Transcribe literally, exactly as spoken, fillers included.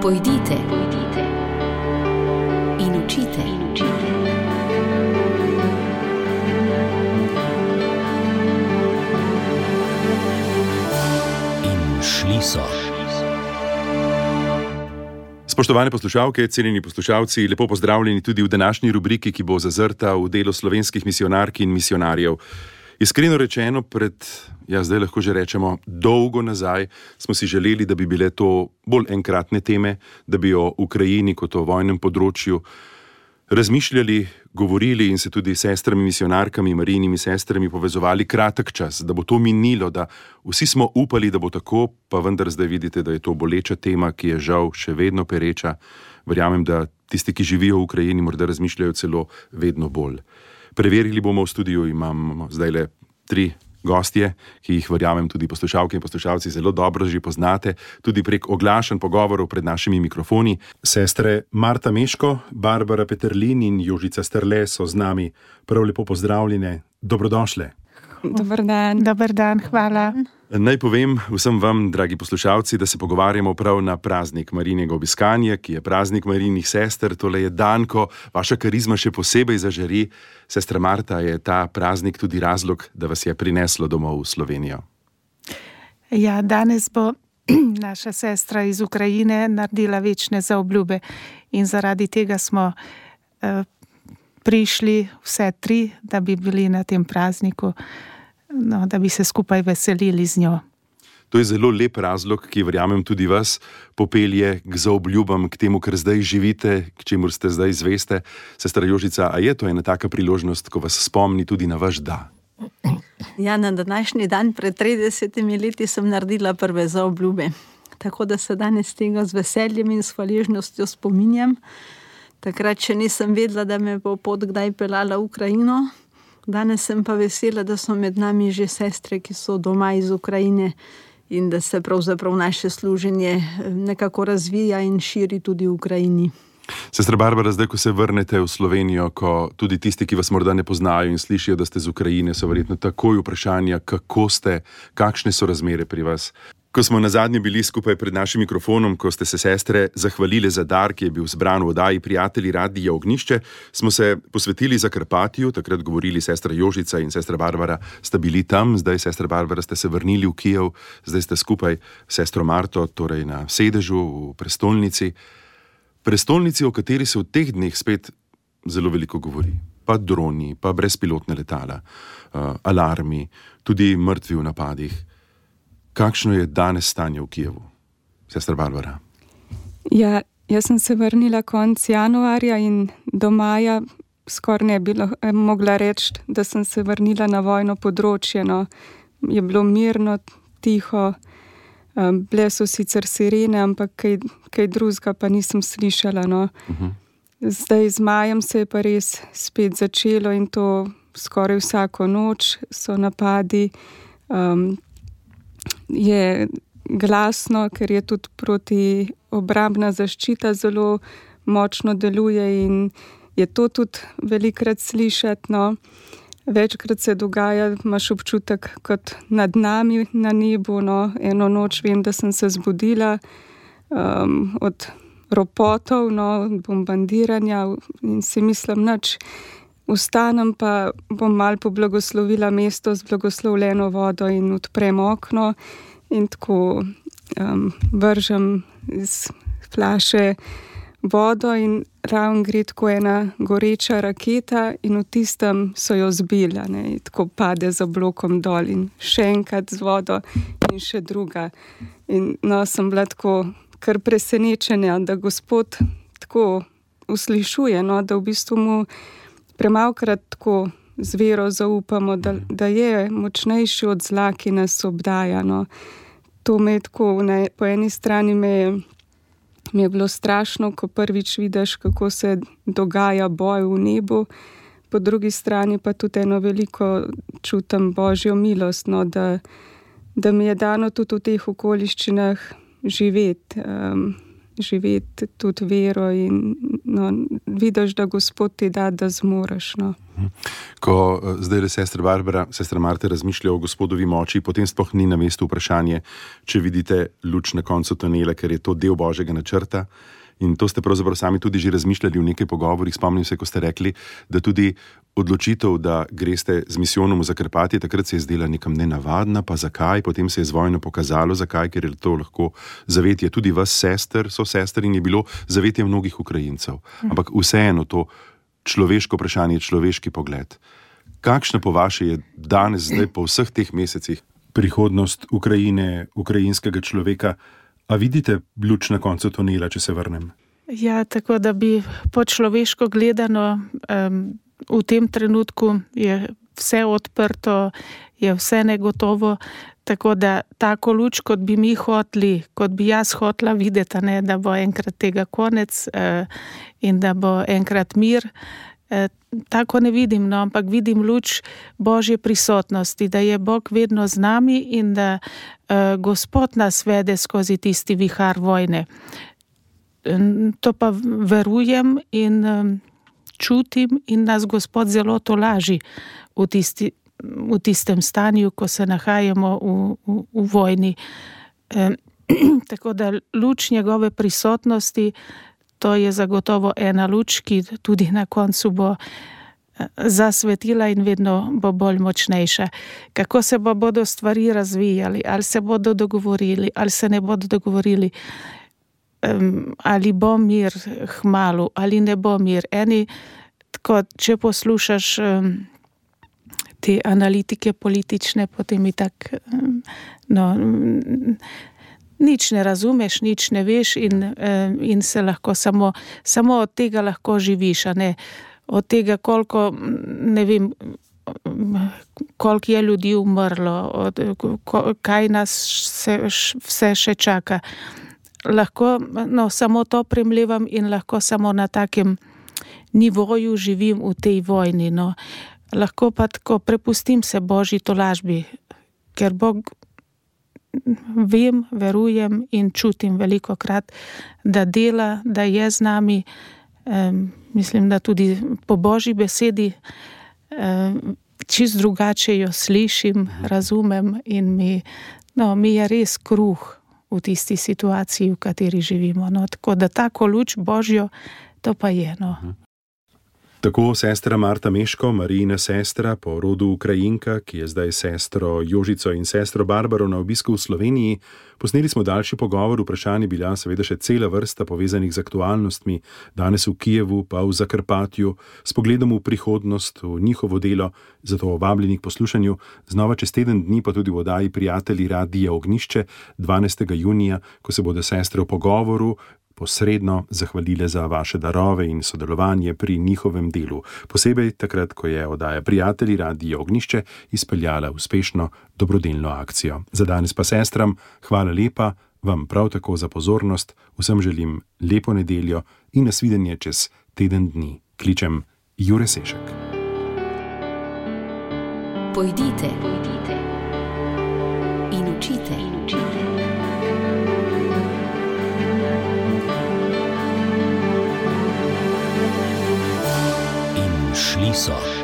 Pojdite, pojdite in učite, in učite. In šli so. Spoštovane poslušalke, cenjeni poslušalci, lepo pozdravljeni tudi v današnji rubriki, ki bo zazrta v delo slovenskih misijonark in misijonarjev. Iskreno rečeno, pred, ja zdaj lahko že rečemo, dolgo nazaj smo si želeli, da bi bile to bolj enkratne teme, da bi o Ukrajini kot o vojnem področju razmišljali, govorili in se tudi s sestrami misijonarkami, Marijinimi sestrami povezovali kratek čas, da bo to minilo, da vsi smo upali, da bo tako, pa vendar zdaj vidite, da je to boleča tema, ki je žal še vedno pereča. Verjamem, da tisti, ki živijo v Ukrajini, morda razmišljajo celo vedno bolj. Preverili bomo v studiu, imamo zdaj le tri gostje, ki jih verjamem tudi poslušalke in poslušalci zelo dobro že poznate, tudi prek oglašanj pogovorov pred našimi mikrofoni. Sestre Marta Meško, Barbara Peterlin in Jožica Strle so z nami. Prav lepo pozdravljene, dobrodošle. Dobar dan. Dobar dan, hvala. Naj povem vsem vam, dragi poslušalci, da se pogovarjamo prav na praznik Marijinega obiskanja, ki je praznik Marijinih sester. Tole je dan, ko vaša karizma še posebej zažari. Sestra Marta, je ta praznik tudi razlog, da vas je prineslo domov v Slovenijo? Ja, danes bo naša sestra iz Ukrajine naredila večne zaobljube in zaradi tega smo uh, prišli vse tri, da bi bili na tem prazniku, no, da bi se skupaj veselili z njo. To je zelo lep razlog, ki verjamem tudi vas popelje k zaobljubam, k temu, kar zdaj živite, k čemur ste zdaj zveste. Sestra Jožica, a je to ena taka priložnost, ko vas spomni tudi na vaš da? Ja, na današnji dan pred tridesetimi leti sem naredila prve zaobljube. Tako da se danes tega z veseljem in s hvaležnostjo spominjam. Takrat še nisem vedela, da me bo pot kdaj peljala v Ukrajino. Danes sem pa vesela, da so med nami že sestre, ki so doma iz Ukrajine in da se pravzaprav naše služenje nekako razvija in širi tudi v Ukrajini. Sestra Barbara, zdaj, ko se vrnete v Slovenijo, ko tudi tisti, ki vas morda ne poznajo in slišijo, da ste z Ukrajine, so verjetno takoj vprašanja, kako ste, kakšne so razmere pri vas. Ko smo nazadnje bili skupaj pred našim mikrofonom, ko ste se sestre zahvalile za dar, ki je bil zbran v oddaji Prijatelji Radia Ognjišče, smo se posvetili Zakarpatju, takrat govorili sestra Jožica in sestra Barbara sta bili tam, zdaj sestra Barbara ste se vrnili v Kijev, zdaj ste skupaj s sestro Marto, torej na sedežu v prestolnici. Prestolnici, o kateri se v teh dneh spet zelo veliko govori. Pa droni, pa brezpilotne letala, uh, alarmi, tudi mrtvi v napadih. Kakšno je danes stanje v Kijevu? Sestra Barbara. Ja, jaz sem se vrnila konec januarja in do maja skoraj ne bi mogla reči, da sem se vrnila na vojno področje. No. Je bilo mirno, tiho, bile so sicer sirene, ampak kaj, kaj drugega pa nisem slišala. No. Uh-huh. Zdaj z majem se je pa res spet začelo in to skoraj vsako noč so napadi. Um, je glasno, ker je tudi protiobrambna zaščita zelo močno deluje in je to tudi velikrat slišati. No. Večkrat se dogaja, imaš občutek kot nad nami na nebu. No. Eno noč vem, da sem se zbudila um, od ropotov, no, od bombardiranja in si mislim, nič. Vstanem pa bom malo poblagoslovila mesto z blagoslovljeno vodo in odprem okno in tako um, vržem iz flaše vodo in ravno gre tako ena goreča raketa in v tistem so jo zbila, ne, in tako pade za blokom dol in še enkrat z vodo in še druga. In no, sem bila tako kar presenečena, da Gospod tako uslišuje, no, da v bistvu mu premalkrat tako z vero zaupamo, da, da je močnejši od zla, ki nas obdaja. No. To me je tako, ne, po eni strani me je, mi je bilo strašno, ko prvič vidiš, kako se dogaja boj v nebu, po drugi strani pa tudi eno veliko čutim Božjo milost, no, da, da mi je dano tudi v teh okoliščinah živeti. Um, živeti tudi vero in no, vidiš, da Gospod ti da, da zmoreš. No. Ko zdaj le sestra Barbara, sestra Marta razmišlja o Gospodovi moči, potem sploh ni na mestu vprašanje, če vidite luč na koncu tunela, ker je to del Božjega načrta. In to ste pravzaprav sami tudi že razmišljali v nekaj pogovorih. Spomnim se, ko ste rekli, da tudi odločitev, da greste z misijonom v Zakrpatje, takrat se je zdela nekam nenavadna, pa zakaj? Potem se je z vojno pokazalo, zakaj, ker je to lahko zavetje tudi vas, sester, so sester in je bilo zavetje mnogih Ukrajincev. Ampak vseeno to človeško vprašanje, človeški pogled. Kakšna po vaše je danes, zdaj po vseh teh mesecih, prihodnost Ukrajine, ukrajinskega človeka? A vidite luč na koncu tunela, če se vrnem? Ja, tako da bi po človeško gledano, um, v tem trenutku je vse odprto, je vse negotovo, tako da tako luč, kot bi mi hoteli, kot bi jaz hotela videti, ne, da bo enkrat tega konec uh, in da bo enkrat mir, uh, tako ne vidim, no, ampak vidim luč Božje prisotnosti, da je Bog vedno z nami in da uh, Gospod nas vede skozi tisti vihar vojne. To pa verujem in um, čutim in nas Gospod zelo tolaži v, tisti, v tistem stanju, ko se nahajamo v, v, v vojni. Um, tako da luč njegove prisotnosti, to je zagotovo ena luč, ki tudi na koncu bo zasvetila in vedno bo bolj močnejša. Kako se bo bodo stvari razvijali, ali se bodo dogovorili, ali se ne bodo dogovorili, um, ali bo mir hmalu, ali ne bo mir. Eni, tako, če poslušaš um, te analitike politične, potem i tak, um, no, um, nič ne razumeš, nič ne veš in, um, in se lahko samo, samo od tega lahko živiš, a ne od tega, koliko, ne vem, koliko je ljudi umrlo, od, kaj nas se, vse še čaka. Lahko, no, samo to premlevam in lahko samo na takem nivoju živim v tej vojni, no. Lahko pa tako prepustim se Božji tolažbi, ker Bog vem, verujem in čutim velikokrat, da dela, da je z nami. Um, mislim, da tudi po Božji besedi um, čist drugače jo slišim, razumem in mi, no, mi je res kruh v tisti situaciji, v kateri živimo. No, tako da tako luč Božjo, to pa je, no. Tako sestra Marta Meško, Marijina sestra, po rodu Ukrajinka, ki je zdaj sestro Jožico in sestro Barbaro na obisku v Sloveniji. Posneli smo daljši pogovor, vprašanj je bila seveda še cela vrsta povezanih z aktualnostmi, danes v Kijevu, pa v Zakrpatju, s pogledom v prihodnost, v njihovo delo, zato vabljeni k poslušanju. Znova čez teden dni pa tudi v oddaji Prijatelji Radia Ognjišče, dvanajstega junija, ko se bodo sestre v pogovoru posredno zahvalile za vaše darove in sodelovanje pri njihovem delu. Posebej takrat, ko je oddaja Prijatelji Radia Ognjišče izpeljala uspešno dobrodelno akcijo. Za danes pa sestram hvala lepa, vam prav tako za pozornost, vsem želim lepo nedeljo in nasvidenje čez teden dni. Kličem Jure Sešek. Pojdite, pojdite in učite, in učite. In šli so.